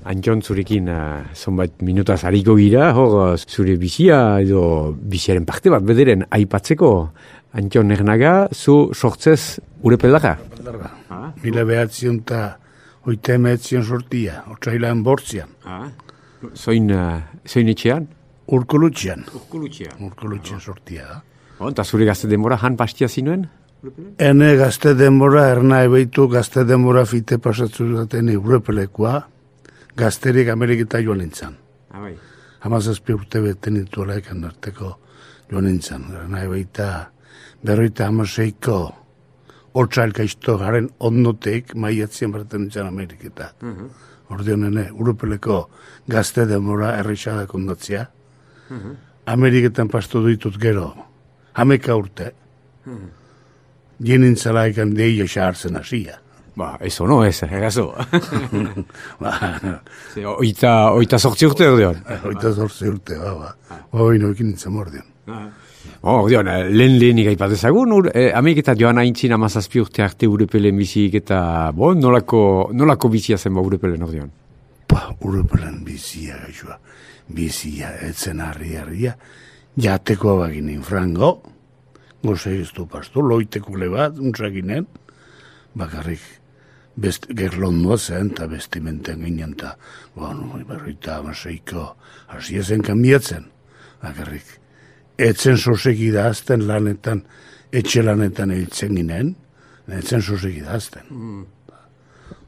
Antxon zurekin zonbait minutaz hariko gira, hor zure bizia edo biziaren parte bat bederen aipatzeko. Antxon Ernaga, zu sortzez Urepeldarra? Mila behatzion eta oita emetzion sortia, otsailan bortzian. Zoin etxean? Urkulutxean sortia da. Eta zure gazte denbora han pastia zinuen? Ene gazte denbora, erna ebeitu gazte denbora fite pasatzu daten Urepelekoa, gazterik Ameriketa joan nintzen. Hamazazpi urte beten dituela ekan arteko joan nintzen. Erna ebeita berroita hamaseiko otsailka isto garen ondotek maiatzien berten nintzen Ameriketa. Ordeon ene, Urepeleko gazte denbora errexadak ondatzea. Ameriketan pastu ditut gero, 11 urte. Jenintzala ekan deia xahartzen hasia. Ez ono, egazo. Oita sortzi urte ordeon. Oita sortzi urte, hoi noikin nintzen mordeon. Ordeon, lehenik aipatezagun, Ameriketat joan haintzin 17 urte arte Urepelen bizik eta nolako bizia zen Urepelen ordeon? Urepelen bizia, gaixoa. Bizia, etzen harria, jateko baginen frango, goze ez du pastu, loitekule bat, untzakinen, bakarrik gerlondua zen, eta bestimenten ginen, eta berroita amaseiko hasi ezen kanbiatzen, bakarrik. Etzen soseki dazten lanetan, etxe lanetan hiltzen ginen, etzen soseki dazten.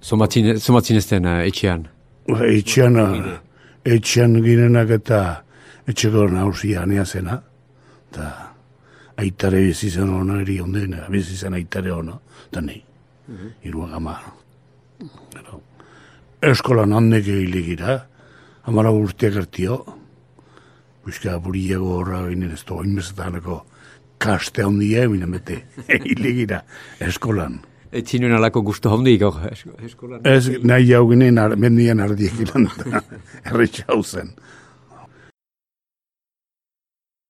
Zomatzin ezten etxean? Etxean ginenak eta etxeko nausia anea zena, eta aitare bizizan hona eri onden, bizizan aitare hona, eta nahi, iruak ama. Eskolan handek egilegira, amara urteak hartio, buizka buriago horra ginen ez da oinbezetaneko kaste handia eminen bete, egilegira, eskolan. Etzinuen alako guztu handik eskolan? Ez nahi jau ginen mendian ardiek ilan, erretxau zen.